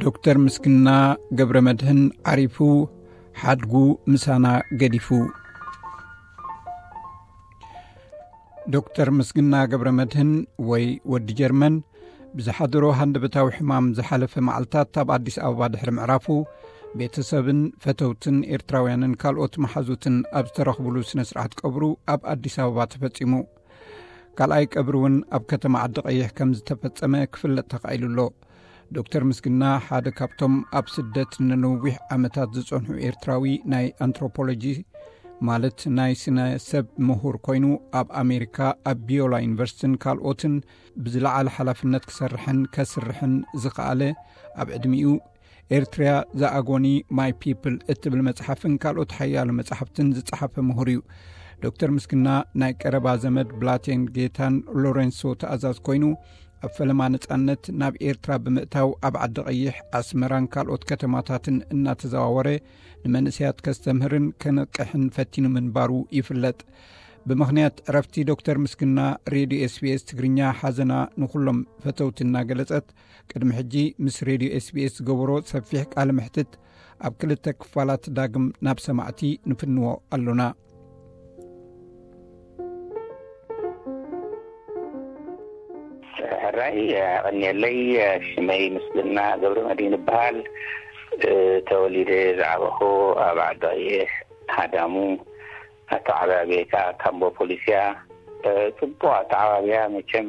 ዶክተር ምስግና ገብረ መድህን ዓሪፉ፣ ሓድጉ ምሳና ገዲፉ። ዶክተር ምስግና ገብረ መድህን ወይ ወዲ ጀርመን ብዝሓደሮ ሃንደበታዊ ሕማም ዝሓለፈ መዓልታት ኣብ ኣዲስ ኣበባ ድሕሪ ምዕራፉ፣ ቤተሰብን ፈተውትን ኤርትራውያንን ካልኦት መሓዙትን ኣብ ዝተረኽብሉ ስነ ስርዓት ቀብሩ ኣብ ኣዲስ ኣበባ ተፈጺሙ። ካልኣይ ቀብሪ እውን ኣብ ከተማ ዓዲ ቀይሕ ከም ዝተፈጸመ ክፍለጥ ተኻኢሉ ኣሎ። ዶክተር ምስግና ሓደ ካብቶም ኣብ ስደት ንነዊሕ ዓመታት ዝጸንሑ ኤርትራዊ ናይ ኣንትሮፖሎጂ፣ ማለት ናይ ስነ ሰብ ምሁር ኮይኑ፣ ኣብ ኣሜሪካ ኣብ ቢዮላ ዩኒቨርሲቲን ካልኦትን ብዝለዓለ ሓላፍነት ክሰርሕን ከስርሕን ዝኸኣለ፣ ኣብ ዕድሚኡ ኤርትሪያ ዘኣጎኒ ማይ ፒፕል እትብል መጽሓፍን ካልኦት ሓያሎ መጽሓፍትን ዝጸሓፈ ምሁር እዩ። ዶክተር ምስግና ናይ ቀረባ ዘመድ ብላቴን ጌታን ሎሬንሶ ተኣዛዝ ኮይኑ፣ ኣብ ፈለማ ነጻነት ናብ ኤርትራ ብምእታው ኣብ ዓዲ ቀይሕ፣ ኣስመራን ካልኦት ከተማታትን እናተዘዋወረ ንመንእሰያት ከስተምህርን ከነቅሕን ፈቲኑ ምንባሩ ይፍለጥ። ብምኽንያት ዕረፍቲ ዶክተር ምስግና፣ ሬድዮ ኤስቢኤስ ትግርኛ ሓዘና ንኹሎም ፈተውቲ እናገለጸት፣ ቅድሚ ሕጂ ምስ ሬድዮ ኤስቢኤስ ዝገበሮ ሰፊሕ ቃለ መሕትት ኣብ ክልተ ክፋላት ዳግም ናብ ሰማዕቲ ንፍንዎ ኣሎና። ሕራይ፣ ቀኒየለይ። ሽመይ ምስግና ገብረ መድህን ይበሃል። ተወሊደ ዝዓበኹ ኣብ ዓዲ ቀይሕ ሃዳሙ፣ ኣተዓባብየ ከዓ ካምቦ ፖሊስያ። ጽቡቕ ኣተዓባብያ። መቸም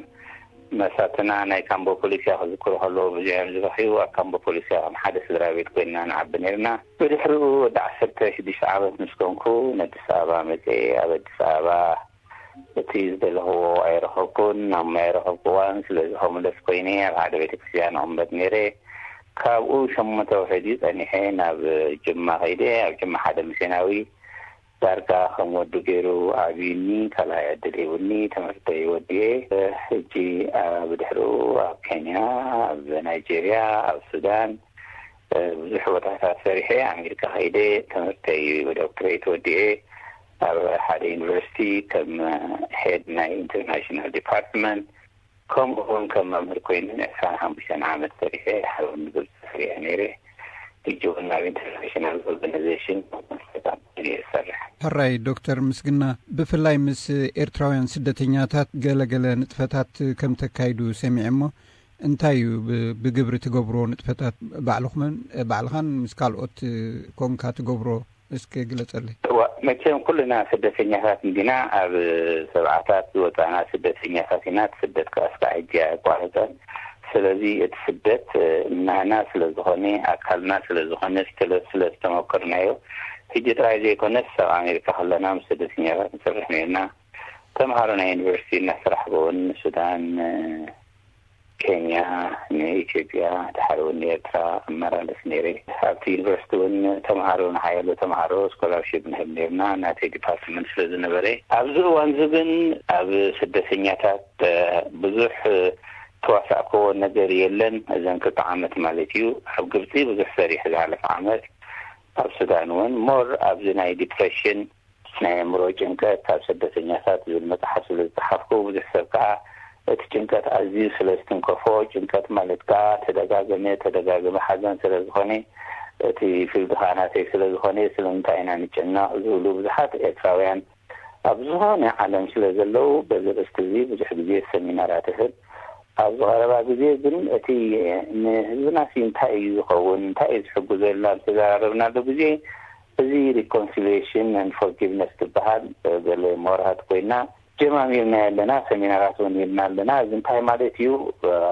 መሳትና ናይ ካምቦ ፖሊስያ ክዝክሩ ከለዉ ብዙሕ እዮም ዝበኽዩ። ኣብ ካምቦ ፖሊስያ ከም ሓደ ስድራ ቤት ኮይንና ንዓቢ ነርና። ብድሕሪኡ ወዲ ዓሰርተ ሽዱሽተ ዓመት ምስ ኮንኩ፣ ንኣዲስ ኣበባ መጽየ። ኣብ ኣዲስ ኣበባ እቲ ዝደለኽዎ ኣይረኸብኩን፣ ናሙና ኣይረኸብኩዋን። ስለዚ ሆምለስ ኮይነ ኣብ ሓደ ቤተክርስትያን እቕመጥ ነይረ። ካብኡ ሸሞንተ ውሕድ እዩ ጸኒሐ ናብ ጅማ ከይደ። ኣብ ጅማ ሓደ ሚስዮናዊ ዳርጋ ከም ወዱ ገይሩ ኣዕብዩኒ፣ ካልኣይ ዕድል ሂቡኒ፣ ትምህርተይ ወዲኤ። ሕጂ፣ አ፣ ብድሕሪኡ ኣብ ኬንያ፣ ኣብ ናይጄርያ፣ ኣብ ሱዳን፣ እ፣ ብዙሕ ቦታታት ሰሪሐ፣ ኣሜሪካ ከይደ ትምህርተይ ብዶክትሬት ወዲኤ፣ ኣብ ሓደ ዩኒቨርሲቲ ከም ሄድ ናይ ኢንተርናሽናል ዲፓርትመንት፣ ከምኡ እውን ከም መምህር ኮይነ ን ዕስራን ሓሙሽተን ዓመት ሰሪሐ። ሓደ ግብፂ ሰሪሐ ነይረ። ሕጂ እውን ናብ ኢንተርናሽናል ኦርጋናይዜሽን እየ ዝሰርሕ። ሕራይ ዶክተር ምስግና፣ ብፍላይ ምስ ኤርትራውያን ስደተኛታት ገለገለ ንጥፈታት ከም ተካይዱ ሰሚዐ እሞ፣ እንታይ እዩ ብ-፣ ብግብሪ ትገብርዎ ንጥፈታት? ባዕልኹምን፣ ባዕልኻን ምስ ካልኦት ኮንካ ትገብሮ? እስኪ ግለጸለይ። እዋ፣ መቸም ኩልና ስደተኛታት እንዲና። ኣብ ሰብዓታት ዝወጻና ስደተኛታት ኢና። እቲ ስደት ከኣ እስካዕ ሕጂ ኣየቋረጸን። ስለዚ እቲ ስደት፣ እ፣ ናህና ስለ ዝኾነ፣ ኣካልና ስለ ዝኾነ፣ ስለ፣ ስለ ዝተመከርናዮ፣ ሕጂ ጥራይ ዘይኮነስ፣ ኣብ ኣሜሪካ ከለና ምስ ስደተኛታት ንሰርሕ ነርና። ተምሃሮ ናይ ዩኒቨርሲቲ እናሰራሕኩ እውን ንሱዳን፣ እ፣ ኬንያ፣ ንኢትዮጵያ፣ ድሓር እውን ንኤርትራ እመላለስ ነይረ። ኣብቲ ዩኒቨርሲቲ እውን ተምሃሮ፣ ንሓያሎ ተምሃሮ ስኮላርሺፕ ንህብ ነርና፣ ናተይ ዲፓርትመንት ስለ ዝነበረ። ኣብዚ እዋን እዚ ግን ኣብ ስደተኛታት፣ እ፣ ብዙሕ፣ እ፣ ተዋሳእክዎ ነገር የለን። እዘን ክልተ ዓመት ማለት እዩ። ኣብ ግብፂ ብዙሕ ሰሪሕ ዝሓለፈ ዓመት፣ ኣብ ሱዳን እውን ሞር ኣብዚ ናይ ዲፕሬሽን፣ ናይ ኣእምሮ ጭንቀት ኣብ ስደተኛታት ዝብል መጽሓፍ ስለ ዝጸሓፍኩ፣ ብዙሕ ሰብ ከኣ እቲ ጭንቀት ኣዝዩ ስለ ዝትንከፎ፣ ጭንቀት ማለት ከኣ ተደጋገመ ተደጋገመ ሓዘን ስለ ዝኾነ፣ እቲ ፊልድ ከኣ ናተይ ስለ ዝኾነ፣ ስለምንታይ ኢና ንጭነቕ ዝብሉ ብዙሓት ኤርትራውያን ኣብ ዝኾነ ዓለም ስለ ዘለዉ፣ በዚ ኣርእስቲ እዚ ብዙሕ ግዜ ሰሚናራት እህብ። ኣብዚ ቀረባ ግዜ ግን እቲ ንህዝብናሲ እንታይ እዩ ዝኸውን፣ እንታይ እዩ ዝሕግዞ ኢልና ኣብ ዝተዘራረብናሉ ግዜ፣ እዚ ሪኮንሲሊየሽን ኤንድ ፎርጊቭነስ ትበሃል፣ እ፣ ገለ ምሁራት ኮይና ጀማሚርና ኣለና፣ ሰሚናራት እውን ሂብና ኣለና። እዚ እንታይ ማለት እዩ?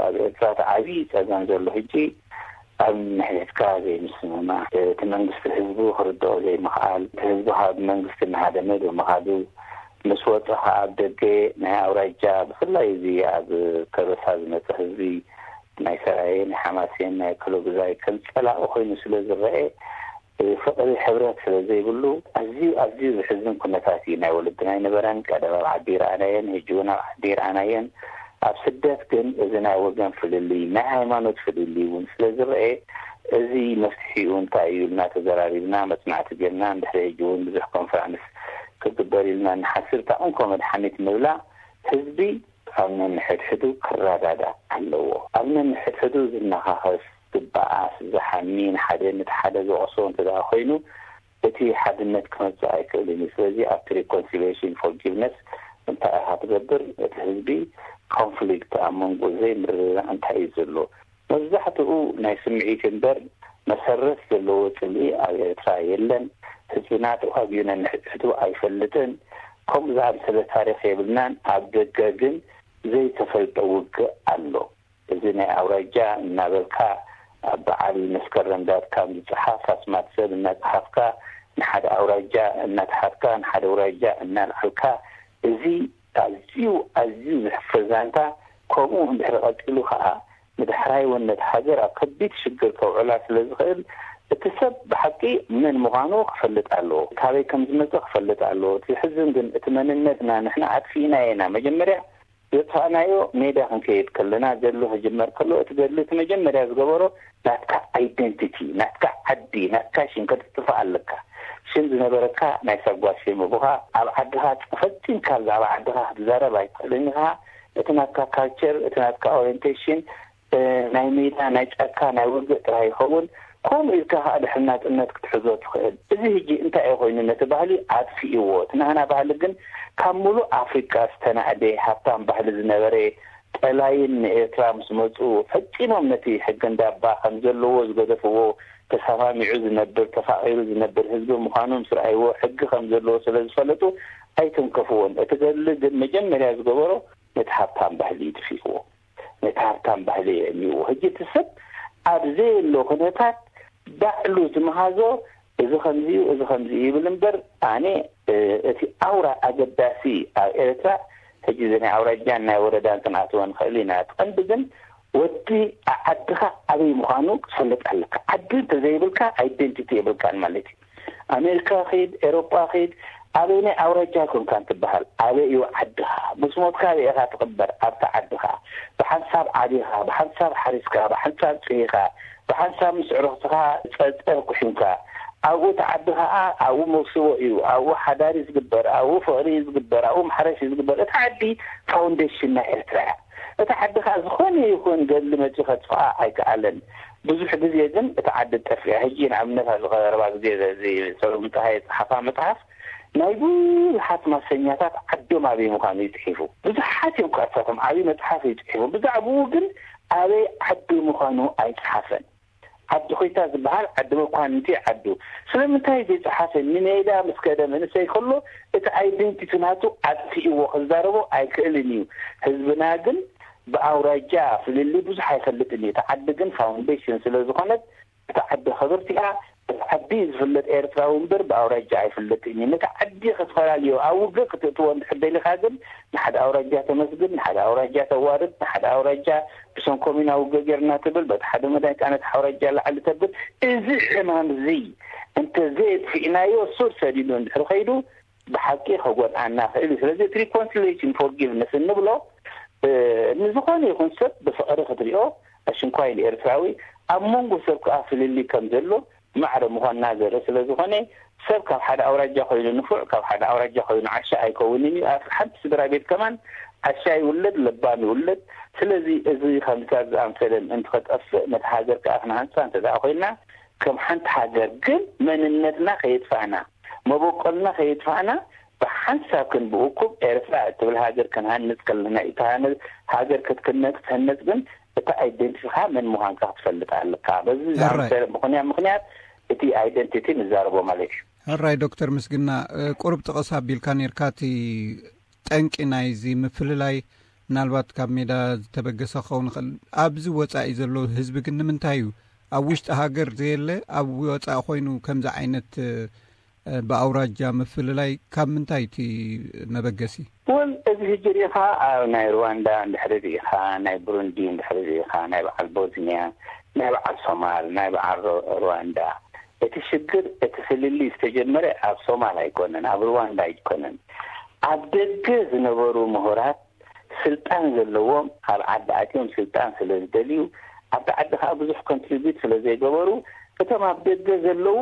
ኣብ ኤርትራ እቲ ዓብዪ ጸገም ዘሎ ሕጂ ኣብ ንሕድሕድካ ዘይምስምማዕ፣ እቲ መንግስቲ ህዝቡ ክርድኦ ዘይምኽኣል፣ እቲ ህዝቢ ካብ መንግስቲ እናሃደመ ብምኻዱ፣ ምስ ወጸ ከዓ ኣብ ደገ ናይ ኣውራጃ፣ ብፍላይ እዚ ኣብ ከበሳ ዝመጸ ህዝቢ ናይ ሰራየ፣ ናይ ሓማሴን፣ ናይ ከሎግዛይ ከም ጸላኢ ኮይኑ ስለ ዝረአ፣ ፍቕሪ ሕብረት ስለ ዘይብሉ፣ ኣዝዩ፣ ኣዝዩ ዘሕዝን ኩነታት እዩ። ናይ ወለድና ኣይነበረን፣ ቀደም ኣብ ዓዲ ይረኣናየን፣ ሕጂ እውን ኣብ ዓዲ ይረኣናየን። ኣብ ስደት ግን እዚ ናይ ወገን ፍልልይ፣ ናይ ሃይማኖት ፍልልይ እውን ስለ ዝረአ፣ እዚ መፍትሒኡ እንታይ እዩ ኢልና ተዘራሪብና፣ መጽናዕቲ ጌርና፣ እንድሕሪ ሕጂ እውን ብዙሕ ኮንፈረንስ ክግበር ኢልና እንሓስብ፣ እታ እንኮ መድሓኒት ንብላ፣ ህዝቢ ኣብ ነንሕድሕዱ ክረዳዳእ ኣለዎ። ኣብ ነንሕድሕዱ ዝነኻኸስ፣ ዝበኣስ፣ ዝሓሚ፣ ንሓደ ነቲ ሓደ ዝወቕሶ እንተ ደኣ ኮይኑ፣ እቲ ሓድነት ክመጽእ ኣይክእልን እዩ። ስለዚ ኣብቲ reconciliation forgiveness እንታይ ኢኻ ትገብር? እቲ ህዝቢ conflict ኣብ መንጎ ዘይምርድዳእ እንታይ እዩ ዘሎ? መብዛሕትኡ ናይ ስምዒት እምበር መሰረት ዘለዎ ጽልኢ ኣብ ኤርትራ የለን። ህዝብና ተዋጊኡ ነንሕድሕዱ ኣይፈልጥን። ከምኡ ዝኣመሰለ ታሪኽ የብልናን። ኣብ ደገ ግን ዘይተፈልጠ ውግእ ኣሎ። እዚ ናይ ኣውራጃ እናበልካ ኣብ በዓል መስከረም ዳት ካም ዝጸሓፍ ኣስማት ሰብ እናጸሓፍካ ንሓደ ኣውራጃ እናተሓትካ ንሓደ ኣውራጃ እናልዓልካ፣ እዚ ኣዝዩ ኣዝዩ ዘሕፍር ዛንታ። ከምኡ እንድሕር ቀጺሉ ከኣ ንዳሕራይ እውን ነቲ ሃገር ኣብ ከቢድ ሽግር ከውዕላ ስለ ዝኽእል፣ እቲ ሰብ ብሓቂ መን ምዃኑ ክፈልጥ ኣለዎ፣ ካበይ ከም ዝመጸ ክፈልጥ ኣለዎ። እቲ ዝሕዝን ግን እቲ መንነትና ንሕና ኣጥፊእናዮ ኢና። መጀመርያ ዘጥፋእናዮ ሜዳ ክንከይድ ከለና፣ ገድሊ ክጅመር ከሎ እቲ ገድሊ እቲ መጀመርያ ዝገበሮ ናትካ ኣይደንቲቲ፣ ናትካ ዓዲ፣ ናትካ ሽም ከተጥፍእ ኣለካ። ሽም ዝነበረካ ናይ ሳጓ ሽም ኣቦኻ ኣብ ዓድኻ ፈጺምካ ብዛዕባ ዓድኻ ክትዛረብ ኣይትኽእልን ኢኻ። እቲ ናትካ ካልቸር፣ እቲ ናትካ ኦሪንቴሽን ናይ ሜዳ፣ ናይ ጫካ፣ ናይ ውግእ ጥራይ ይኸውን። ከምኡ ኢልካ ከዓ ድሕሪ ናጽነት ክትሕዞ ትኽእል። እዚ ሕጂ እንታይ እዩ ኮይኑ ነቲ ባህሊ ኣጥፊእዎ። እቲ ናህና ባህሊ ግን ካብ ሙሉእ ኣፍሪቃ ዝተናእደ ሃብታም ባህሊ ዝነበረ፣ ጠላይን ንኤርትራ ምስ መጹ ፈጺሞም ነቲ ሕጊ እንዳባ ከም ዘለዎ ዝገደፍዎ፣ ተሰማሚዑ ዝነብር፣ ተፋቒሩ ዝነብር ህዝቢ ምዃኑ ምስ ረኣይዎ፣ ሕጊ ከም ዘለዎ ስለ ዝፈለጡ ኣይተንከፍዎን። እቲ ገድሊ ግን መጀመርያ ዝገበሮ ነቲ ሃብታም ባህሊ እዩ ጥፊእዎ። ነቲ ሃብታም ባህሊ የዕንይዎ። ሕጂ እቲ ሰብ ኣብ ዘየሎ ኩነታት ባዕሉ ዝመሃዞ እዚ ከምዚ እዩ፣ እዚ ከምዚ እዩ ይብል እምበር፣ ኣነ፣ እ፣ እቲ ኣውራ ኣገዳሲ ኣብ ኤርትራ፣ ሕጂ እዚ ናይ ኣውራጃን ናይ ወረዳን ክንኣትዎ ንኽእል ኢና። እቲ ቀንዲ ግን ወዲ ዓድኻ ኣበይ ምዃኑ ክትፈልጥ ኣለካ። ዓዲ እንተዘይብልካ ኣይደንቲቲ የብልካን ማለት እዩ። ኣሜሪካ ኺድ፣ ኤሮጳ ኺድ፣ ኣበይናይ ኣውራጃ ኮንካ እንትበሃል፣ ኣበይ እዩ ዓድኻ? ምስ ሞትካ ኣበይ ኢኻ ትቕበር? ኣብታ ዓድኻ። ብሓንሳብ ዓቢኻ፣ ብሓንሳብ ሓሪስካ፣ ብሓንሳብ ጽሂኻ፣ ብሓንሳብ ምስ ዕርኽትኻ ጸጸር ኩሒምካ፣ ኣብኡ እቲ ዓዲ ኸኣ ኣብኡ መውስቦ እዩ፣ ኣብኡ ሓዳር እዩ ዝግበር፣ ኣብኡ ፍቕሪ እዩ ዝግበር፣ ኣብኡ ማሕረሽ እዩ ዝግበር። እቲ ዓዲ ፋውንዴሽን ናይ ኤርትራ እያ። እቲ ዓዲ ኸኣ ዝኾነ ይኹን ገድሊ መጺኡ ከጥፍኣ ኣይከኣለን። ብዙሕ ግዜ ግን እቲ ዓዲ ጠፊኣ። ሕጂ ንኣብነት ኣብዚ ቀረባ ግዜ እዚ ሰሎሙን ጸሃየ ዝጸሓፋ መጽሓፍ ናይ ብዙሓት ማሰኛታት ዓዶም ኣበይ ምዃኑ እዩ ጽሒፉ። ብዙሓት እዮም ከኣ እሳቶም ዓብዪ መጽሓፍ እዩ ጽሒፉ። ብዛዕባኡ ግን ኣበይ ዓዱ ምዃኑ ኣይጸሓፈን። ዓዲ ኮይታ ዝበሃል ዓዲ መኳንንቲ ዓዱ። ስለምንታይ ዘይጸሓፈ? ንሜዳ ምስ ከደ መንእሰይ ከሎ እቲ ኣይደንቲቲ ናቱ ኣጥፊእዎ ክዛረቦ ኣይክእልን እዩ። ህዝብና ግን ብኣውራጃ ፍልልይ ብዙሕ ኣይፈልጥን እዩ። እቲ ዓዲ ግን ፋውንዴሽን ስለ ዝኾነት እታ ዓዲ ክብርቲ እያ። እቲ ዓዲ ዝፍለጥ ኤርትራዊ እምበር ብኣውራጃ ኣይፍለጥን እዩ። ነቲ ዓዲ ክትፈላልዮ ኣብ ውግእ ክትእትዎ እንድሕር ደሊኻ ግን ንሓደ ኣውራጃ ተመስግን፣ ንሓደ ኣውራጃ ተዋርድ፣ ንሓደ ኣውራጃ ብሰንኮም ኢና ውግእ ጌርና ትብል፣ በቲ ሓደ መዳይ ከኣ ነቲ ኣውራጃ ላዕሊ ተብል። እዚ ሕማም እዚ እንተዘየጥፊእናዮ ሱር ሰዲዱ እንድሕር ከይዱ ብሓቂ ከጎድኣና ክእል እዩ። ስለዚ እቲ reconciliation forgiveness እንብሎ እ፣ ንዝኾነ ይኹን ሰብ ብፍቕሪ ክትሪኦ፣ ኣሽንኳይ ንኤርትራዊ ኣብ መንጎ ሰብ ከኣ ፍልልይ ከም ዘሎ ማዕረ ምዃንና ዘርኢ ስለ ዝኾነ፣ ሰብ ካብ ሓደ ኣውራጃ ኮይኑ ንፉዕ፣ ካብ ሓደ ኣውራጃ ኮይኑ ዓሻ ኣይከውንን እዩ። ኣብ ሓንቲ ስድራ ቤት ከማን ዓሻ ይውለድ፣ ለባም ይውለድ። ስለዚ እዚ ከምዚታት ዝኣምሰለ ምእንቲ ከጠፍእ፣ ነታ ሃገር ከኣ ክንሃንጻ እንተ ደኣ ኮይንና፣ ከም ሓንቲ ሃገር ግን መንነትና ከየጥፋእና፣ መበቆልና ከየጥፋእና፣ ብሓንሳብ ክንብእኩብ ኤርትራ እትብል ሃገር ክንሃንጽ ከለና፣ እታ ሃነ-፣ ሃገር ክትክነ-፣ ክትህነጽ ግን እታ ኣይደንቲቲኻ መን ምዃንካ ክትፈልጥ ኣለካ። በዚ ሕራይ። ዝኣምሰለ ምኽንያት፣ ምኽንያት እቲ ኣይደንቲቲ ንዛረቦ ማለት እዩ። ሕራይ ዶክተር ምስግና፣ እ፣ ቁሩብ ጥቕስ ኣቢልካ ኔርካ፣ እቲ ጠንቂ ናይዚ ምፍልላይ ምናልባት ካብ ሜዳ ዝተበገሰ ክኸውን ይኽእል። ኣብዚ ወጻኢ ዘሎ ህዝቢ ግን ንምንታይ እዩ ኣብ ውሽጢ ሃገር ዘየለ ኣብ ወጻኢ ኮይኑ ከምዚ ዓይነት፣ እ፣ ብኣውራጃ ምፍልላይ ካብ ምንታይ እቲ መበገሲ? እውን እዚ ሕጂ ርኢኻ ኣብ ናይ ሩዋንዳ እንድሕሪ ርኢኻ፣ ናይ ብሩንዲ እንድሕሪ ርኢኻ፣ ናይ በዓል ቦዝንያ፣ ናይ በዓል ሶማል፣ ናይ በዓል ሩ-፣ ሩዋንዳ፣ እቲ ሽግር፣ እቲ ፍልልይ ዝተጀመረ ኣብ ሶማል ኣይኮነን፣ ኣብ ሩዋንዳ ኣይኮነን። ኣብ ደገ ዝነበሩ ምሁራት ስልጣን ዘለዎም ኣብ ዓዲ ኣትዮም ስልጣን ስለ ዝደልዩ፣ ኣብቲ ዓዲ ከኣ ብዙሕ ኮንትሪቢዩት ስለ ዘይገበሩ፣ እቶም ኣብ ደገ ዘለዉ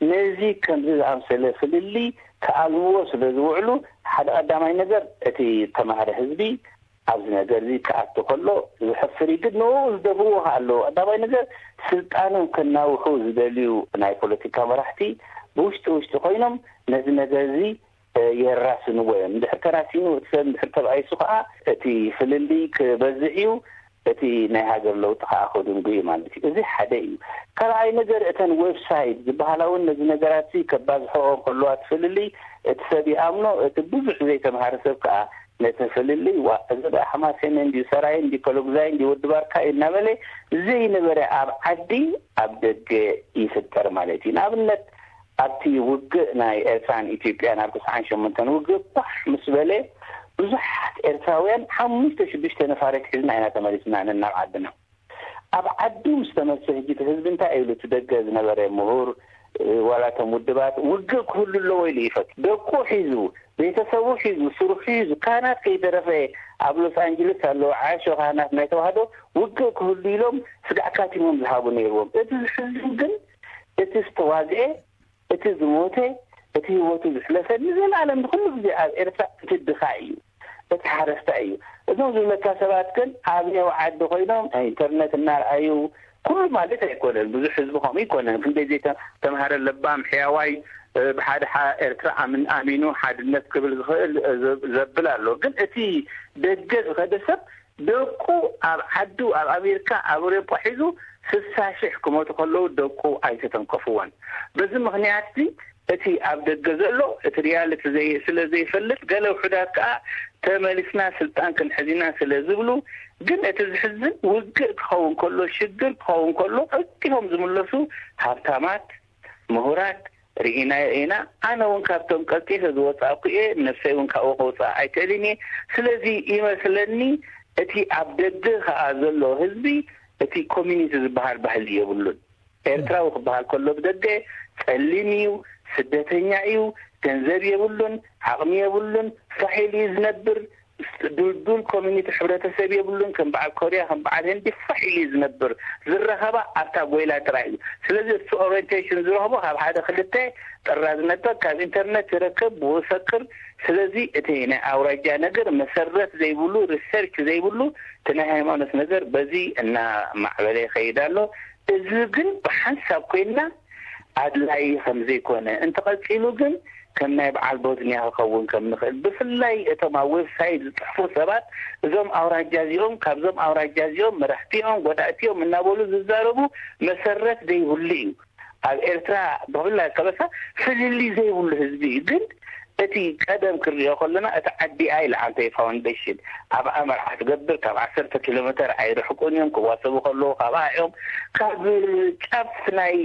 ነዚ ከምዚ ዝኣምሰለ ፍልልይ ክኣልምዎ ስለ ዝውዕሉ፣ ሓደ ቀዳማይ ነገር እቲ ተማሃረ ህዝቢ ኣብዚ ነገር እዚ ክኣቱ ከሎ ዝሕፍር እዩ። ግን ንኡ ዝደፍእዎ ከኣ ኣለዎ። ቀዳማይ ነገር፣ ስልጣኖም ከናውሑ ዝደልዩ ናይ ፖለቲካ መራሕቲ ብውሽጢ ውሽጢ ኮይኖም ነዚ ነገር እዚ የራስንዎ እዮም። እንድሕር ተራሲኑ እቲ ሰብ እንድሕር ተባኢሱ ከኣ እቲ ፍልልይ ክበዝሕ እዩ፣ እቲ ናይ ሃገር ለውጢ ከኣ ክድንጉ እዩ ማለት እዩ። እዚ ሓደ እዩ። ካልኣይ ነገር፣ እተን ዌብሳይት ዝበሃላ እውን ነዚ ነገራት እዚ ከባዝሕኦ ከለዋ እቲ ፍልልይ፣ እቲ ሰብ ይኣምኖ፣ እቲ ብዙሕ ዘይተምሃረ ሰብ ከኣ ነቲ ፍልልይ፣ ዋ፣ እዚ ደኣ ሓማሴን እንድዩ፣ ሰራይ እንድዩ፣ ከሎግዛይ እንድዩ፣ ወዲ ባርካ እዩ እናበለ ዘይነበረ ኣብ ዓዲ ኣብ ደገ ይፍጠር ማለት እዩ። ንኣብነት፣ ኣብቲ ውግእ ናይ ኤርትራን ኢትዮጵያን ኣብ ተስዓን ሸሞንተን ውግእ ኳሕ ምስ በለ፣ ብዙሓት ኤርትራውያን ሓሙሽተ ሽዱሽተ ነፋሪት ሒዝና ኢና ተመሊስና ናብ ዓድና። ኣብ ዓዱ ምስ ተመልሰ፣ ሕጂ እቲ ህዝቢ እንታይ ኢሉ? እቲ ደገ ዝነበረ ምሁር፣ ዋላ እቶም ውድባት፣ ውግእ ክህሉ ኣለዎ ኢሉ ይፈቱ። ደቁ ሒዙ፣ ቤተሰቡ ሒዙ፣ ስርሑ ሒዙ፣ ካህናት ከይተረፈ ኣብ ሎስ ኣንጀለስ ኣለዉ። ዓሾ ካህናት ናይ ተዋህዶ ውግእ ክህሉ ኢሎም ስጋዕ ካቲሞም ዝሃቡ ነይርዎም። እቲ ዝሕዝን ግን፣ እቲ ዝተዋግኤ፣ እቲ ዝሞተ፣ እቲ ህይወቱ ዝሕለፈ፣ ንዘለኣለም ንኹሉ ግዜ ኣብ ኤርትራ እቲ ድኻ እዩ፣ እቲ ሓረስታይ እዩ። እዞም ዝብለካ ሰባት ግን ኣብ ኔው ዓዲ ኮይኖም ኢንተርነት እናርኣዩ፣ ኩሉ ማለት ኣይኮነን፣ ብዙሕ ህዝቢ ከምኡ ኣይኮነን። ክንደይ ዘይተምሃረ ለባም ሕያዋይ፣ እ፣ ብሓደ ሓ-፣ ኤርትራ ኣምን-፣ ኣሚኑ ሓድነት ክብል ዝኽእል፣ እ፣ ዘ-፣ ዘብል ኣሎ። ግን እቲ ደገ ዝኸደ ሰብ ደቁ ኣብ ዓዱ፣ ኣብ ኣሜሪካ፣ ኣብ ኣውሮጳ ሒዙ ስሳ ሽሕ ክሞቱ ከለዉ ደቁ ኣይተተንከፍዎን። በዚ ምኽንያት እዚ እቲ ኣብ ደገ ዘሎ እቲ ሪያሊቲ ዘይ-፣ ስለ ዘይፈልጥ፣ ገለ ውሑዳት ከኣ ተመሊስና ስልጣን ክንሕዝ ኢና ስለ ዝብሉ፣ ግን እቲ ዝሕዝን ውግእ ክኸውን ከሎ፣ ሽግር ክኸውን ከሎ፣ ቀልጢፎም ዝምለሱ ሃብታማት፣ ምሁራት ርኢናዮ ኢና። ኣነ እውን ካብቶም ቀልጢፈ ዝወጻእኩ እየ። ነፍሰይ እውን ካብኡ ከውጽኣ ኣይክእልን እየ። ስለዚ ይመስለኒ እቲ ኣብ ደገ ከኣ ዘሎ ህዝቢ እቲ ኮሚኒቲ ዝበሃል ባህሊ የብሉን። ኤርትራዊ ክበሃል ከሎ ብደገ ጸሊም እዩ፣ ስደተኛ እዩ፣ ገንዘብ የብሉን፣ ዓቕሚ የብሉን፣ ፋሕ ኢሉ እዩ ዝነብር። ድልዱል ኮሚኒቲ፣ ሕብረተሰብ የብሉን። ከም በዓል ኮርያ፣ ከም በዓል ህንዲ ፋሕ ኢሉ እዩ ዝነብር። ዝረኸባ ኣብታ ጎይላ ጥራይ እዩ። ስለዚ እቲ ኦሪየንቴሽን ዝረኽቦ ካብ ሓደ ክልተ ጥራዝ ነበር፣ ካብ ኢንተርነት ይረክብ፣ ብኡ ይፈክር። ስለዚ እቲ ናይ ኣውራጃ ነገር መሰረት ዘይብሉ፣ ሪሰርች ዘይብሉ፣ እቲ ናይ ሃይማኖት ነገር በዚ እናማዕበለ ይኸይድ ኣሎ። እዚ ግን ብሓንሳብ ኮይንና ኣድላዪ ከም ዘይኮነ፣ እንተቐጺሉ ግን ከም ናይ በዓል ቦዝንያ ክኸውን ከም ንኽእል፣ ብፍላይ እቶም ኣብ ዌብሳይት ዝጽሕፉ ሰባት፣ እዞም ኣውራጃ እዚኦም፣ ካብዞም ኣውራጃ እዚኦም፣ መራሕቲኦም፣ ጎዳእቲኦም እናበሉ ዝዛረቡ መሰረት ዘይብሉ እዩ። ኣብ ኤርትራ ብፍላይ ከበሳ ፍልልይ ዘይብሉ ህዝቢ እዩ። ግን እቲ ቀደም ክንሪኦ ከለና፣ እቲ ዓዲ ኣይ ለዓንተይ ፋውንዴሽን ኣብ ኣመርዓ ትገብር፣ ካብ ዓሰርተ ኪሎ ሜተር ኣይርሕቁን እዮም። ክዋሰቡ ከለዉ ካብኣ እዮም። ካብ ጫፍ ናይ፣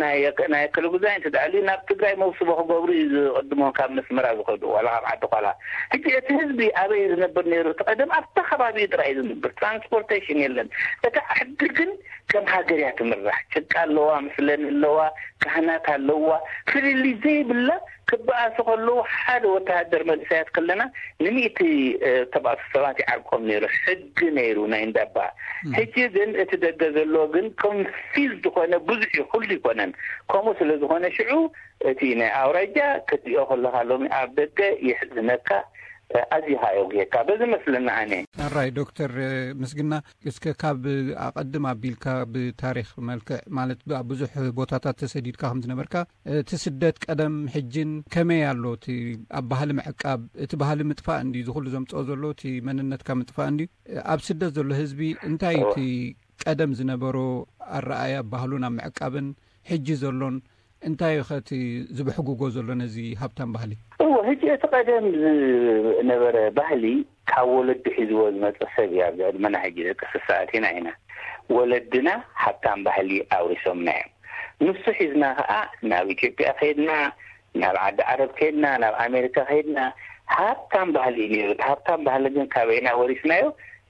ናይ፣ ናይ ክልጉዛይ እንተ ደኣ ልዩ ናብ ትግራይ መውስቦ ክገብሩ እዩ ዝቕድሞም ካብ መስመራ ዝኸዱ፣ ዋላ ካብ ዓዲ ኳላ። ሕጂ እቲ ህዝቢ ኣበይ ዝነብር ነይሩ? እቲ ቀደም ኣብታ ከባቢኡ ጥራይ እዩ ዝነብር። ትራንስፖርቴሽን የለን። እታ ዓዲ ግን ከም ሃገር እያ ትምራሕ። ጭቃ ኣለዋ፣ ምስለን ኣለዋ፣ ካህናት ኣለዋ። ፍልልይ ዘይብላ ክበኣሱ ከለዉ ሓደ ወተሃደር መንእሰያት ከለና ንሚእቲ፣ እ፣ ተባእሱ ሰባት ይዓርቆም ነይሩ። ሕጊ ነይሩ ናይ እንዳባ። ሕጂ ግን እቲ ደገ ዘሎ ግን ኮንፊዝ ዝኾነ ብዙሕ እዩ፣ ኩሉ ይኮነን። ከምኡ ስለ ዝኾነ ሽዑ እቲ ናይ ኣውራጃ ክትሪኦ ከለኻ ሎሚ ኣብ ደገ ይሕዝነካ፣ እ፣ ኣዚኻ የጉየካ። በዚ መስለና ኣነ። ኣራይ ዶክተር ምስግና፣ እስከ ካብ ኣቐድም ኣቢልካ ብታሪኽ መልክዕ ማለት ብ-፣ ኣብ ብዙሕ ቦታታት ተሰዲድካ ከም ዝነበርካ፣ እቲ ስደት ቀደም ሕጅን ከመይ ኣሎ? እቲ ኣብ ባህሊ ምዕቃብ፣ እቲ ባህሊ ምጥፋእ እንዲ ዝኹሉ ዘምጽኦ ዘሎ እቲ መንነትካ ምጥፋእ እንዲ ኣብ ስደት ዘሎ ህዝቢ እንታይ እዩ እቲ ቀደም ዝነበሮ ኣረኣያ ባህሉን ኣብ ምዕቃብን ሕጂ ዘሎን እንታይ እዩ ኸቲ ዝብሕጉጎ ዘሎ ነዚ ሃብታም ባህሊ? እወ፣ ሕጂ እቲ ቀደም ዝነበረ ባህሊ ካብ ወለዲ ሒዝዎ ዝመጸ ሰብ እዩ። ኣብዚ ዕድመና ሕጂ ደቂ ስሳ ኣቲና ኢና። ወለድና ሃብታም ባህሊ ኣውሪሶምና እዮም። ንሱ ሒዝና ኸኣ ናብ ኢትዮጵያ ከይድና፣ ናብ ዓዲ ዓረብ ከይድና፣ ናብ ኣሜሪካ ከይድና፣ ሃብታም ባህሊ እዩ ነይሩ። እቲ ሃብታም ባህሊ ግን ካበይና ወሪስናዮ?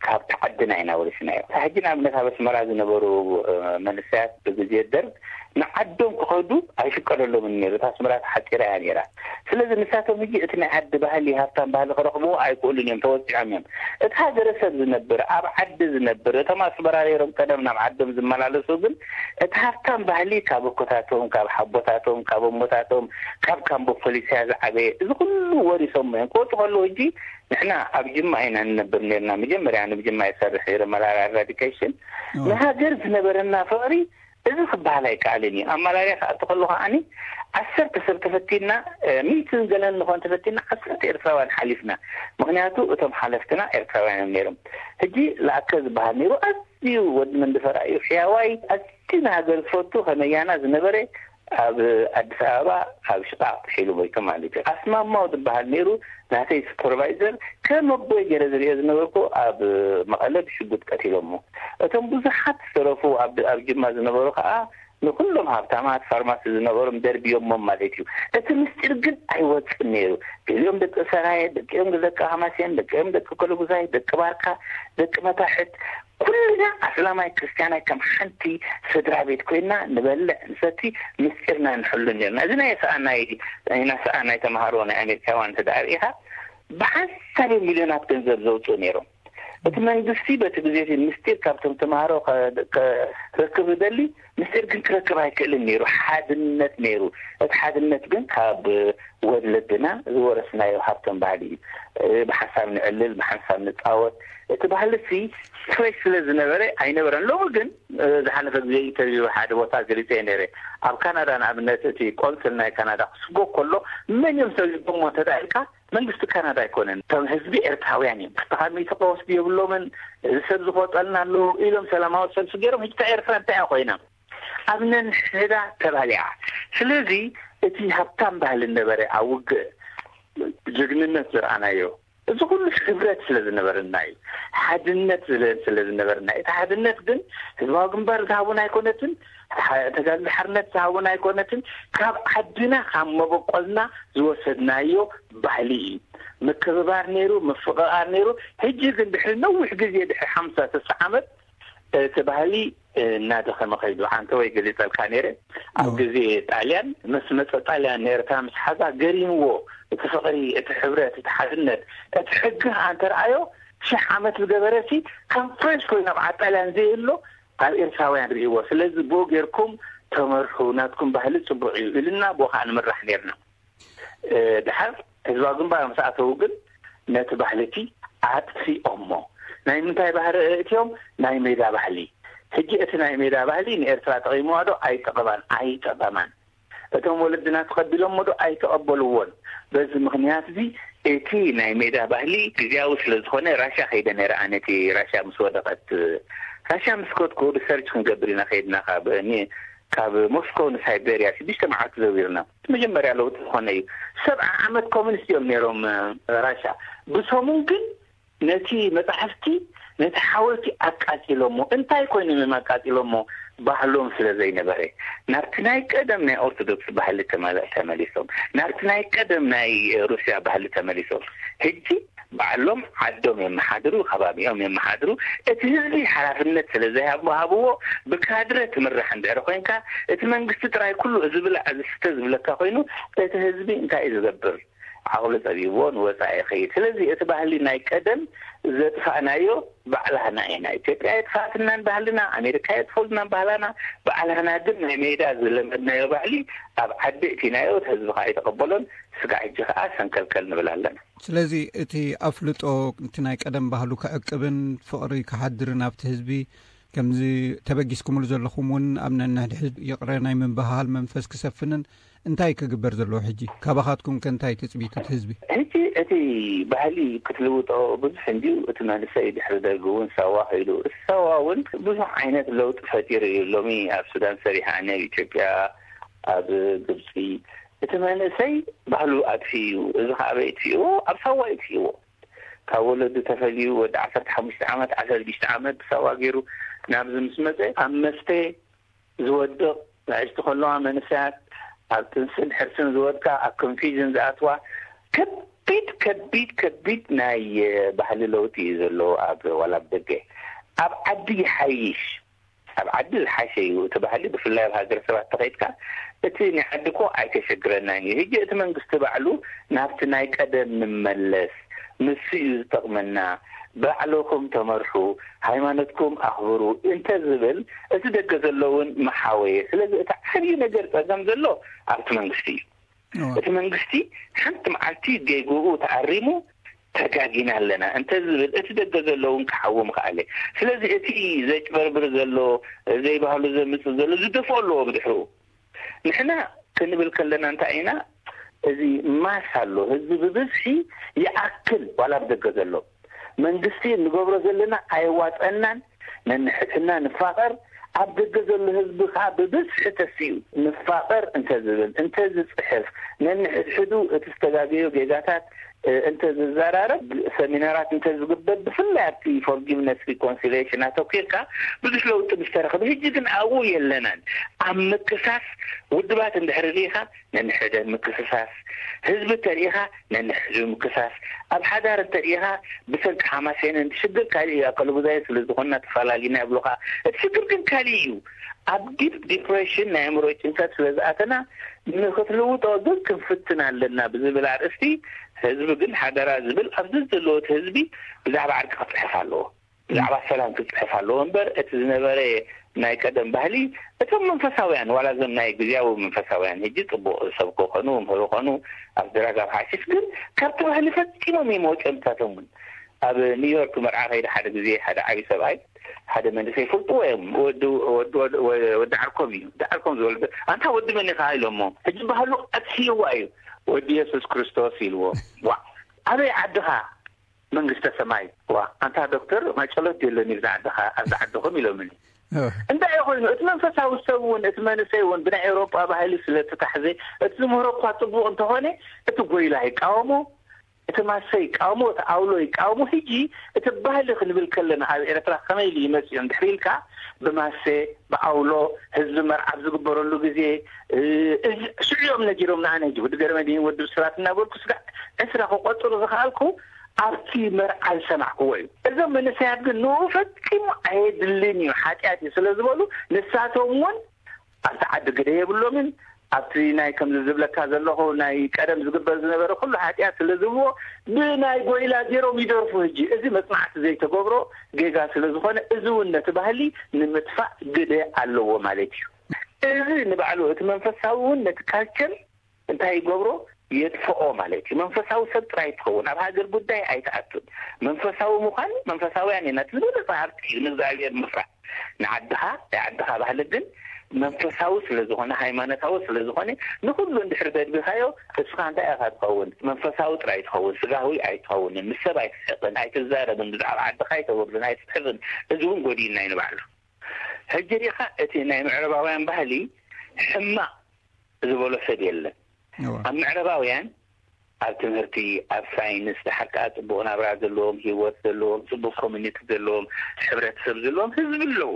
ካብቲ ዓድና ኢና ወሪስናዮ። ሕጂ ንኣብነት ኣብ ኣስመራ ዝነበሩ፣ እ፣ መንእሰያት ብግዜ ደርግ ንዓዶም ክኸዱ ኣይፍቀደሎምን ነይሩ። እታ ኣስመራ ተሓፂራ እያ ነይራ። ስለዚ ንሳቶም ሕጂ እቲ ናይ ዓዲ ባህሊ፣ ሃብታም ባህሊ ክረኽብዎ ኣይክእሉን እዮም፣ ተወፂዖም እዮም። እቲ ሃገረሰብ ዝነብር፣ ኣብ ዓዲ ዝነብር፣ እቶም ኣስመራ ነይሮም ቀደም ናብ ዓዶም ዝመላለሱ ግን እቲ ሃብታም ባህሊ ካብ ኣኮታቶም፣ ካብ ሓቦታቶም፣ ካብ እሞታቶም፣ ካብ ካምቦ ፖሊስያ ዝዓበየ፣ እዚ ኩሉ ወሪሶም እዮም። ክወፁ ከለዉ ሕጂ ንሕና ኣብ ጅማ ኢና ንነብር ነርና። መጀመርያ ንብ ጅማ ይሰርሕ ነይረ መላላ ኤራዲኬሽን። ንሃገር ዝነበረና ፍቕሪ እዚ ክበሃል ኣይከኣልን እዩ። ኣብ ማላርያ ክኣቱ ከሎ ከዓኒ ዓሰርተ ሰብ ተፈቲና፣ ሚትን ገለን ንኾን ተፈቲና፣ ዓሰርተ ኤርትራውያን ሓሊፍና። ምኽንያቱ እቶም ሓለፍትና ኤርትራውያን እዮም ነይሮም። ሕጂ ለኣከ ዝበሃል ነይሩ፣ ኣዝዩ ወዲ መንደፈራ እዩ፣ ሕያዋይ፣ ኣዝዩ ንሃገር ዝፈቱ፣ ከመያና ዝነበረ፣ ኣብ ኣዲስ ኣበባ ኣብ ሽቓቕ ጥሒሉ ሞይቱ ማለት እዩ። ኣስማማው ዝበሃል ነይሩ ናተይ ሱፐርቫይዘር፣ ከም ኣቦይ ገይረ ዝሪኦ ዝነበርኩ፣ ኣብ መቐለ ብሽጉጥ ቀቲሎሞ። እቶም ብዙሓት ዝተረፉ ኣብ ኣብ ጅማ ዝነበሩ ከዓ ንኩሎም ሃብታማት ፋርማሲ ዝነበሮም ደርብዮሞም ማለት እዩ። እቲ ምስጢር ግን ኣይወፅን ነይሩ። ገሊኦም ደቂ ሰራየ፣ ደቂኦም ደቂ ሃማሴን፣ ደቂኦም ደቂ ኮለጉዛይ፣ ደቂ ባርካ፣ ደቂ መታሕት፣ ኩልና ኣስላማይ ክርስቲያናይ ከም ሓንቲ ስድራ ቤት ኮይና ንበልዕ ንሰቲ፣ ምስጢርና ንሕሉ ነርና። እዚ ናይ ሰኣናይ ናይ ሰኣናይ ተምሃሮ ናይ ኣሜሪካውያን እንተ ደኣ ርኢኻ፣ ብሓንሳብ ሚልዮናት ገንዘብ ዘውፅኡ ነይሮም። እቲ መንግስቲ በቲ ግዜ እቲ ምስጢር ካብቶም ተምሃሮ ከ- ከ- ክረክብ ዝደሊ ምስጢር ግን ክረክብ ኣይክእልን ነይሩ። ሓድነት ነይሩ። እቲ ሓድነት ግን ካብ ወለድና ዝወረስናዮ ሃብቶም ባህሊ እዩ። ብሓንሳብ ንዕልል፣ ብሓንሳብ ንፃወት። እቲ ባህሊ ሲ ፍሬሽ ስለ ዝነበረ ኣይነበረን። ሎሚ ግን ዝሓለፈ ግዜ ኢንተርቪው ሓደ ቦታ ገሊፀ ነይረ። ኣብ ካናዳ ንኣብነት እቲ ቆንስል ናይ ካናዳ ክስጎ ከሎ መን እዮም ሰቢቦሞ እንተዳኢልካ መንግስቲ ካናዳ ኣይኮነን፣ እቶም ህዝቢ ኤርትራውያን እዮም። ክልተ ካብ ሚእቲ ከወስዱ የብሎምን፣ እዚ ሰብ ዝቆፀልና ኣለዉ ኢሎም ሰላማዊ ሰልፊ ገይሮም። ሕጂ እታ ኤርትራ እንታይ እያ ኮይና? ኣብ ነንሕዳ ተባሊዓ። ስለዚ እቲ ሃብታም ባህሊ ነበረ ኣብ ውግእ ጅግንነት ዝረኣናዮ፣ እዚ ኩሉ ሕብረት ስለ ዝነበረና እዩ። ሓድነት ስለ ዝነበረና እዩ። እቲ ሓድነት ግን ህዝባዊ ግንባር ዝሃቡን ኣይኮነትን፣ ተጋድሎ ሓርነት ዝሃቡን ኣይኮነትን፣ ካብ ዓድና ካብ መበቆልና ዝወሰድናዮ ባህሊ እዩ። ምክብባር ነይሩ፣ ምፍቕቓር ነይሩ። ሕጂ ግን ድሕሪ ነዊሕ ግዜ፣ ድሕሪ ሓምሳ ስሳ ዓመት እቲ ባህሊ እናደኸመ ከይዱ። ዓንተ ወይ ገሊጸልካ ነይረ። ኣብ ግዜ ጣልያን ምስ መጸ፣ ጣልያን ንኤርትራ ምስ ሓዛ ገሪምዎ፣ እቲ ፍቕሪ፣ እቲ ሕብረት፣ እቲ ሓድነት፣ እቲ ሕጊ ከኣ እንተረኣዮ ሽሕ ዓመት ዝገበረ ሲ ከም ፍሬሽ ኮይኑ ኣብ ዓጣልያን ዘይህሎ ኣብ ኤርትራውያን ርእይዎ። ስለዚ ብኡ ጌርኩም ተመርሑ፣ ናትኩም ባህሊ ጽቡቕ እዩ ኢልና ብኡ ከኣ ንምራሕ ኔርና። ድሓር ህዝባዊ ግንባር ምስ ኣተዉ ግን ነቲ ባህሊ እቲ ኣጥፊኦሞ። ናይ ምንታይ ባህሪ እትዮም? ናይ ሜዳ ባህሊ። ሕጂ እቲ ናይ ሜዳ ባህሊ ንኤርትራ ጠቒምዋ ዶ? ኣይጠቐማን፣ ኣይጠቐማን። እቶም ወለድና ተቐቢሎሞ ዶ? ኣይተቐበልዎን። በዚ ምኽንያት እዚ እቲ ናይ ሜዳ ባህሊ ግዝያዊ ስለ ዝኾነ ራሻ ከይደ ነይረ። ኣነ እቲ ራሻ ምስ ወደቐት፣ ራሻ ምስ ከድኩ ሪሰርች ክንገብር ኢና ከይድና ካብ ኒ-፣ ካብ ሞስኮ ንሳይቤርያ ሽዱሽተ መዓልቲ ዘዊርና። እቲ መጀመርያ ለውጢ ዝኾነ እዩ። ሰብዓ ዓመት ኮሚኒስት እዮም ነይሮም፣ እ፣ ራሻ። ብሰሙን ግን ነቲ መጻሕፍቲ፣ ነቲ ሓወልቲ ኣቃጺሎሞ። እንታይ ኮይኖም እዮም ኣቃጺሎሞ? ባህሎም ስለ ዘይነበረ። ናብቲ ናይ ቀደም ናይ ኦርቶዶክስ ባህሊ ተመለ-፣ ተመሊሶም። ናብቲ ናይ ቀደም ናይ ሩስያ ባህሊ ተመሊሶም። ሕጂ ባዕሎም ዓዶም የመሓድሩ፣ ከባቢኦም የመሓድሩ። እቲ ህዝቢ ሓላፍነት ስለ ዘይሃብዎ፣ ብካድረ ትምራሕ እንድሕር ኮይንካ፣ እቲ መንግስቲ ጥራይ ኩሉ እዚ ብላዕ፣ እዚ ስተ ዝብለካ ኮይኑ፣ እቲ ህዝቢ እንታይ እዩ ዝገብር? ዓቕሉ ጸቢብዎ ንወጻኢ ይኸይድ። ስለዚ እቲ ባህሊ ናይ ቀደም ዘጥፋእናዮ ባዕላህና ኢና። ኢትዮጵያ የጥፋእትናን ባህልና፣ ኣሜሪካ የጥፍኡልናን ባህላና፣ ባዕላህና ግን ናይ ሜዳ ዝለመድናዮ ባህሊ ኣብ ዓዲ እቲናዮ፣ እቲ ህዝቢ ከኣ ኣይተቐበሎን። ስጋዕ ሕጂ ከኣ ሰንከልከል ንብል ኣለና። ስለዚ እቲ ኣፍልጦ፣ እቲ ናይ ቀደም ባህሉ ክዕቅብን ፍቕሪ ክሓድርን ኣብቲ ህዝቢ፣ ከምዚ ተበጊስኩምሉ ዘለኹም እውን ኣብ ነንሕድሕድ ይቕረ ናይ ምብህሃል መንፈስ ክሰፍንን እንታይ ክግበር ዘለዎ ሕጂ? ካባኻትኩም ከ እንታይ ትጽቢቱ እቲ ህዝቢ? ሕጂ እቲ ባህሊ ክትልውጦ ብዙሕ እንድዩ። እቲ መንእሰይ ድሕሪ ደርጊ እውን ሳዋ ከይዱ። እቲ ሳዋ እውን ብዙሕ ዓይነት ለውጢ ፈጢሩ እዩ። ሎሚ ኣብ ሱዳን ሰሪሐ፣ ኣነ ኣብ ኢትዮጵያ፣ ኣብ ግብፂ። እቲ መንእሰይ ባህሉ ኣጥፊኡ እዩ። እዚ ከዓ ኣበይ ኣጥፊእዎ? ኣብ ሳዋ ኣጥፊእዎ። ካብ ወለዱ ተፈልዩ ወዲ ዓሰርተ ሓሙሽተ ዓመት፣ ዓሰርተ ሽዱሽተ ዓመት ብሳዋ ገይሩ ናብዚ ምስ መፀ፣ ኣብ መስተ ዝወድቕ፣ ንኣሽቱ ከለዋ መንእሰያት ኣብ ጥንስን ሕርስን ዝወድቃ፣ ኣብ ኮንፊዥን ዝኣትዋ፣ ከቢድ፣ ከቢድ፣ ከቢድ ናይ፣ እ፣ ባህሊ ለውጢ እዩ ዘሎ ኣብ፣ ዋላ ኣብ ደገ። ኣብ ዓዲ ይሓይሽ። ኣብ ዓዲ ዝሓሸ እዩ እቲ ባህሊ፣ ብፍላይ ኣብ ሃገረ ሰባት ተኸይድካ እቲ ናይ ዓዲ እኮ ኣይተሸግረናን እዩ። ሕጂ እቲ መንግስቲ ባዕሉ ናብቲ ናይ ቀደም ንመለስ፣ ንሱ እዩ ዝጠቕመና፣ ባዕልኹም ተመርሑ፣ ሃይማኖትኩም ኣኽብሩ እንተ ዝብል፣ እቲ ደገ ዘሎ እውን መሓወየ። ስለዚ እቲ ዓብዪ ነገር ጸገም ዘሎ ኣብቲ መንግስቲ እዩ። እቲ መንግስቲ ሓንቲ መዓልቲ ጌግኡ ተኣሪሙ፣ ተጋጊና ኣለና እንተ ዝብል፣ እቲ ደገ ዘሎ እውን ክሓዊ ምኽኣለ። ስለዚ እቲ ዘጭበርብር ዘሎ፣ ዘይባህሉ ዘምጽእ ዘሎ ዝደፍኦ ኣለዎ ብድሕሩ። ንሕና ክንብል ከለና እንታይ ኢና? እዚ ማስ ኣሎ፣ ህዝቢ ብብዝሒ ይኣክል፣ ዋላ ኣብ ደገ ዘሎ። መንግስቲ እንገብሮ ዘለና ኣየዋፀናን፣ ነንሕድሕድና ንፋቐር፣ ኣብ ደገ ዘሎ ህዝቢ ከዓ ብብዝሒ ተሲኡ ንፋቐር እንተ ዝብል፣ እንተ ዝፅሕፍ፣ ነንሕድሕዱ እቲ ዝተጋገዮ ጌጋታት እንተ ዝዘራረብ፣ ሰሚናራት እንተ ዝግበር፣ ብፍላይ ኣብቲ ፎርጊቭነስ ሪኮንሲሊየሽን ኣተኪርካ ብዙሕ ለውጢ ምስተረኸበ። ሕጂ ግን ኣብኡ የለናን። ኣብ ምክሳስ ውድባት እንድሕር ርኢኻ፣ ነንሕደ ምክስሳስ፣ ህዝቢ ተርኢኻ ነንሕዱ ምክሳስ፣ ኣብ ሓዳር እንተርኢኻ ብሰንኪ ሓማሴንን ሽግር ካሊእ እዩ፣ ኣከለጉዛይ ስለ ዝኾንና ተፈላሊና ይብሉኻ። እቲ ሽግር ግን ካሊእ እዩ። ኣብ ዲፕ ዲፕሬሽን ናይ ኣእምሮ ጭንቀት ስለ ዝኣተና ንክትልውጦ ግን ክንፍትን ኣለና ብዝብል ኣርእስቲ ህዝቢ ግን ሓደራ ዝብል ኣብዚ ዘለዎ እቲ ህዝቢ ብዛዕባ ዕርቂ ክፅሕፍ ኣለዎ። ብዛዕባ ሰላም ክፅሕፍ ኣለዎ እምበር፣ እቲ ዝነበረ ናይ ቀደም ባህሊ፣ እቶም መንፈሳውያን፣ ዋላ እዞም ናይ ግዜያዊ መንፈሳውያን፣ ሕጂ ጽቡቕ ዝሰብኩ ኾኑ፣ መምህር ኾኑ፣ ኣብ ድራግ፣ ኣብ ሓሽሽ፣ ግን ካብቲ ባህሊ ፈጺሞም እዮም ወጺኦም። ንሳቶም እውን ኣብ ኒውዮርክ መርዓ ከይደ ሓደ ግዜ፣ ሓደ ዓቢ ሰብኣይ፣ ሓደ መንእሰይ ይፈልጥዎ እዮም። ወዲ፣ ወዲ፣ ወዲ፣ ወዲ ዓርኮም እዩ። ወዲ ዓርኮም ዝወለደ፣ "ኣንታ ወዲ መን ኢኻ?" ኢሎሞ። ሕጂ ባህሉ ኣጥፍይዋ እዩ። "ወዲ የሱስ ክርስቶስ" ኢልዎ። "ዋዕ! ኣበይ ዓድኻ?" "መንግስተ ሰማይ." "ዋ፣ ኣንታ ዶክተር፣ ማጨሎት የለን እዩ ኣብዚ ዓድኻ፣ ኣብዚ ዓድኹም?" ኢሎምኒ። እንታይ ኮይኑ፣ እቲ መንፈሳዊ ሰብ እውን፣ እቲ መንእሰይ እውን ብናይ ኤውሮጳ ባህሊ ስለ ተታሕዘ፣ እቲ ዝምህሮ እኳ ጽቡቕ እንተኾነ፣ እቲ ጎይላ ይቃወሞ፣ እቲ ማሰ ይቃወሞ፣ እቲ ኣውሎ ይቃወሞ። ሕጂ እቲ ባህሊ ክንብል ከለና፣ ኣብ ኤርትራ ከመይ ኢሉ ይመጽእ እንድሕር ኢልካ፣ ብማሰ፣ ብኣውሎ፣ ህዝቢ መርዓ ኣብ ዝግበረሉ ግዜ፣ እ፣ እዚ ሽዑ እዮም ነጊሮምና። ኣነ ሕጂ ወዲ ገረመድህን ወዲ ብስራት እናበልኩ ስጋዕ ዕስራ ክቆጽሩ ዝኸኣልኩ ኣብቲ መርዓ ዝሰማዕክዎ እዩ። እዞም መንእሰያት ግን ንኡ ፈጺሙ ኣየድልን እዩ፣ ሓጢኣት እዩ ስለ ዝበሉ፣ ንሳቶም እውን ኣብቲ ዓዲ ግደ የብሎምን። ኣብቲ ናይ ከምዚ ዝብለካ ዘለኹ ናይ ቀደም ዝግበር ዝነበረ ኩሉ ሓጢኣት ስለ ዝብልዎ፣ ብናይ ጎይላ ገይሮም ይደርፉ። ሕጂ እዚ መጽናዕቲ ዘይተገብሮ ጌጋ ስለ ዝኾነ፣ እዚ እውን ነቲ ባህሊ ንምጥፋእ ግደ ኣለዎ ማለት እዩ። እዚ ንባዕሉ እቲ መንፈሳዊ እውን ነቲ ካልቸር እንታይ ይገብሮ? የጥፍኦ ማለት እዩ። መንፈሳዊ ሰብ ጥራይ ትኸውን፣ ኣብ ሃገር ጉዳይ ኣይትኣቱን። መንፈሳዊ ምዃን፣ መንፈሳውያን ኢና፣ እቲ ዝበለጸ ሃብቲ እዩ፣ ንእግዚኣብሔር ምፍራህ። ንዓድኻ፣ ናይ ዓድኻ ባህሊ ግን መንፈሳዊ ስለ ዝኾነ፣ ሃይማኖታዊ ስለ ዝኾነ፣ ንኹሉ እንድሕር ደድቢኻዮ፣ እስኻ እንታይ ኢኻ ትኸውን? መንፈሳዊ ጥራይ ትኸውን፣ ስጋዊ ኣይትኸውንን። ምስ ሰብ ኣይትስሕቕን፣ ኣይትዛረብን፣ ብዛዕባ ዓድኻ ኣይተወርድን፣ ኣይትጽሕፍን። እዚ እውን ጎዲእና እዩ ንባዕሉ። ሕጂ ሪኢኻ፣ እቲ ናይ ምዕራባውያን ባህሊ ሕማቕ ዝበሎ ሰብ የለን። እዋ። ኣብ ምዕራባውያን ኣብ ትምህርቲ፣ ኣብ ሳይንስ፣ ደሓር ከኣ ጽቡቕ ናብራ ዘለዎም፣ ህይወት ዘለዎም፣ ጽቡቕ ኮሚኒቲ ዘለዎም፣ ሕብረተሰብ ዘለዎም ህዝቢ ኣለዉ።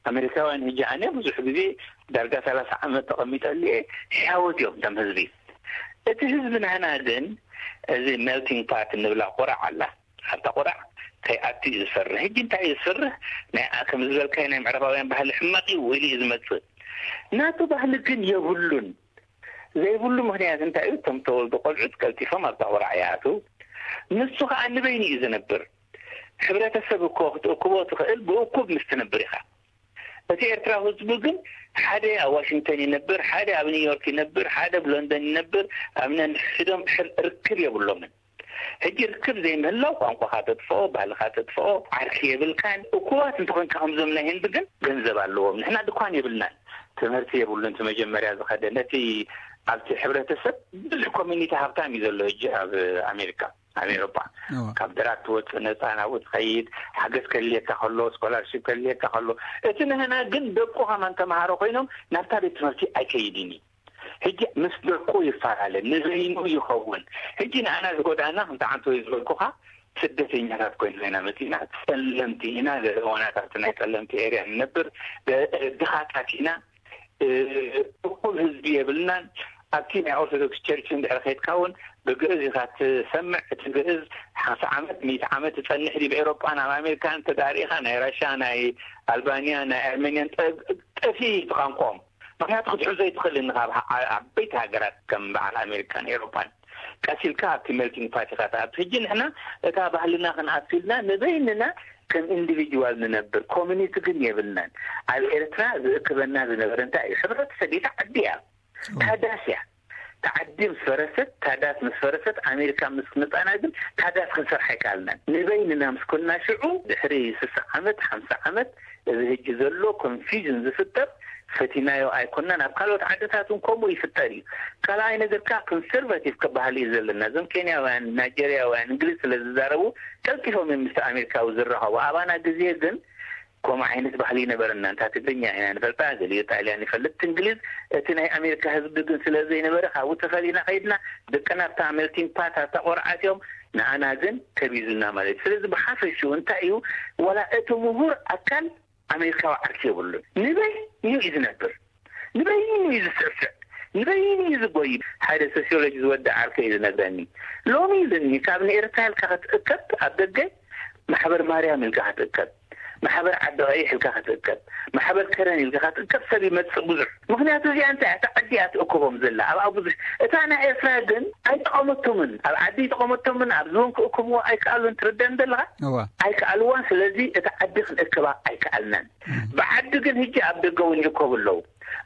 ኣሜሪካውያን፣ ሕጂ ኣነ ብዙሕ ግዜ ዳርጋ ሰላሳ ዓመት ተቐሚጠሉ እየ፣ ሕያወት እዮም እቶም ህዝቢ። እቲ ህዝቢ ናህና ግን፣ እዚ ሜልቲንግ ፓት እንብላ ቆራዕ ኣላ፣ ኣብታ ቆራዕ ከይኣቱ እዩ ዝፈርህ። ሕጂ እንታይ እዩ ዝፈርህ? ናይ፣ ከም ዝበልካዮ ናይ ምዕራባውያን ባህሊ ሕማቕ እዩ፣ ኢሉ እዩ ዝመጽእ። ናቱ ባህሊ ግን የብሉን። ዘይብሉ ምኽንያት እንታይ እዩ? እቶም ተወልዱ ቆልዑት ቀልጢፎም ኣብታ ቆራዕ ይኣትዉ። ንሱ ኸኣ ንበይኑ እዩ ዝነብር። ሕብረተሰብ እኮ ክትእክቦ ትኽእል ብእኩብ ምስ ትነብር ኢኻ። እቲ ኤርትራዊ ህዝቢ ግን ሓደ ኣብ ዋሽንግተን ይነብር፣ ሓደ ኣብ ኒውዮርክ ይነብር፣ ሓደ ኣብ ሎንደን ይነብር፣ ኣብ ነንሕድሕዶም ሕር-፣ ርክብ የብሎምን። ሕጂ ርክብ ዘይምህላው ቋንቋኻ ተጥፍኦ፣ ባህልኻ ተጥፍኦ፣ ዓርኪ የብልካን። እኩባት እንተኾንካ ከምዞም ናይ ህንዲ ግን ገንዘብ ኣለዎም። ንሕና ድኳን የብልናን። ትምህርቲ የብሉን። እቲ መጀመርያ ዝኸደ ነቲ ኣብቲ ሕብረተሰብ ብዙሕ ኮሚኒቲ ሃብታም እዩ ዘሎ ሕጂ ኣብ ኣሜሪካ፣ ኣብ ኤውሮጳ። እዋ። ካብ ድራግ ትወፅእ ነፃ ናብኡ ትኸይድ፣ ሓገዝ ከድልየካ ከሎ፣ ስኮላርሺፕ ከድልየካ ከሎ፣ እቲ ንህና ግን ደቁ ከማን ተምሃሮ ኮይኖም ናብታ ቤት ትምህርቲ ኣይከይድን እዩ። ሕጂ ምስ ደቁ ይፈላለ፣ ንበይኑ ይኸውን። ሕጂ ንኣና ዝጎዳእና፣ ከምቲ ዓንተወይ ዝበልኩኻ፣ ስደተኛታት ኮይና ኢና መጺእና። ጸለምቲ ኢና፣ ገዛኦናት ኣብቲ ናይ ጸለምቲ ኤርያ ንነብር፣ ደ-፣ ድኻታት ኢና፣ እ፣ እኩብ ህዝቢ የብልናን። ኣብቲ ናይ ኦርቶዶክስ ቸርች እንድሕር ከይድካ እውን ብግእዝ ኢኻ ትሰምዕ። እቲ ግእዝ ሓምሳ ዓመት፣ ሚእቲ ዓመት ትጸንሕ ድዩ? ብኤውሮጳን ኣብ ኣሜሪካን እንተዳርኢኻ፣ ናይ ራሻ፣ ናይ ኣልባንያ፣ ናይ ኣርሜንያን ጠ-፣ ጠፊ እዩ እቲ ቋንቋኦም። ምኽንያቱ ክትሕዞ ኣይትኽእልን ኢኻ። ኣብ ዓ-፣ ዓበይቲ ሃገራት ከም በዓል ኣሜሪካን ኤውሮጳን ቀስ ኢልካ ኣብቲ ሜልቲንግ ፓት ኢኻ ትኣቱ። ሕጂ ንሕና እታ ባህልና ክንኣቱ ኢልና ንበይንና ከም ኢንዲቪጅዋል ንነብር፣ ኮሚኒቲ ግን የብልናን። ኣብ ኤርትራ ዝእክበና ዝነበረ እንታይ እዩ? ሕብረተሰብ እታ ዓዲ እያ። ታዳስ እያ። ታዓዲ ምስ ፈረሰት፣ ታዳስ ምስ ፈረሰት፣ ኣሜሪካ ምስ መጻና ግን ታዳስ ክንሰርሕ ኣይከኣልናን። ንበይንና ምስ ኮንና ሽዑ ድሕሪ ስሳ ዓመት፣ ሓምሳ ዓመት እዚ ሕጂ ዘሎ ኮንፊዥን ዝፍጠር ፈቲናዮ ኣይኮናን። ኣብ ካልኦት ዓድታት እውን ከምኡ ይፍጠር እዩ። ካልኣይ ነገር ከኣ ኮንሰርቫቲቭ ክበሃል እዩ ዘለና። እዞም ኬንያውያን፣ ናይጀርያውያን እንግሊዝ ስለ ዝዛረቡ ቀልጢፎም እዮም ምስቲ ኣሜሪካዊ ዝራኸቡ። ኣባና ግዜ ግን ከምኡ ዓይነት ባህሊ ይነበረና። እንታ ትግርኛ ኢና ንፈልጣ፣ ገሊኡ ጣልያን ይፈልጥ፣ እንግሊዝ። እቲ ናይ ኣሜሪካ ህዝቢ ግን ስለ ዘይነበረ ካብኡ ተፈሊና ከይድና ደቅና ኣብታ ሜልቲንግ ፓት ኣብታ ቆርዓት እዮም፣ ንኣና ግን ከቢዙና ማለት እዩ። ስለዚ ብሓፈሽኡ እንታይ እዩ፣ ዋላ እቲ ምሁር ኣካል ኣሜሪካዊ ዓርኪ የብሉን። ንበይኑ እዩ ዝነብር፣ ንበይኑ እዩ ዝስዕስዕ፣ ንበይኑ እዩ ዝጎይ። ሓደ ሶሲዮሎጂ ዝወደ ዓርከይ እዩ ዝነግረኒ። ሎሚ ኢሉኒ፣ ካብ ንኤርትራ ኢልካ ክትእከብ ኣብ ደገ ማሕበር ማርያም ኢልካ ክትእከብ፣ ማሕበር ዓዲ ቀይሕ ኢልካ ክትእከብ፣ ማሕበር ከረን ኢልካ ክትእከብ ሰብ ይመጽእ ብዙሕ። ምኽንያቱ እዚኣ እንታይ እያ? እታ ዓዲ እያ ትእከቦም ዘላ። ኣብኣ ብዙሕ፣ እታ ናይ ኤርትራ ግን ኣይጠቐመቶምን። ኣብ ዓዲ ኣይጠቐመቶምን፣ ኣብ ዞን ክእከብዎ ኣይከኣሉን። ትርደን ዘለኻ? እዋ ኣይከኣልዋን። ስለዚ እታ ዓዲ ክንእከባ ኣይከኣልናን። ብዓዲ ግን ሕጂ ኣብ ደገ እውን ይእከቡ ኣለዉ።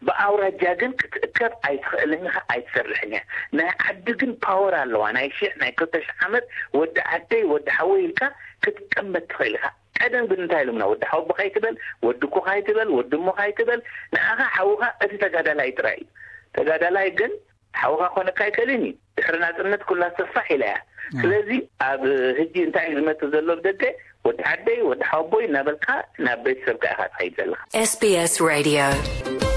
ብኣውራጃ ግን ክትእከብ ኣይትኽእልን ኢኻ፣ ኣይትሰርሕን እያ። ናይ ዓዲ ግን ፓወር ኣለዋ። ናይ ሽሕ ናይ ክልተ ሽሕ ዓመት ወዲ ዓደይ ወዲ ሓወይ ኢልካ ክትቀመጥ ትኽእል ኢኻ። ቀደም ግን እንታይ ኢሎምና? ወዲ ሓወቦኻ ኣይትበል፣ ወዲ ኣቦኻ ኣይትበል፣ ወዲ እሞኻ ኣይትበል። ንዓኻ ሓውኻ እቲ ተጋዳላይ ጥራይ እዩ። ተጋዳላይ ግን ሓውኻ ኮነካ ኣይክእልን እዩ። ድሕሪ ናጽነት ኩላ ሰፋሕ ኢላ እያ። ስለዚ ኣብ ሕጂ እንታይ እዩ ዝመጽእ ዘሎ? ብደገ ወዲ ዓደይ ወዲ ሓወቦይ እናበልካ ናብ ቤተሰብካ ኢኻ ትኸይድ ዘለኻ። S B S Radio.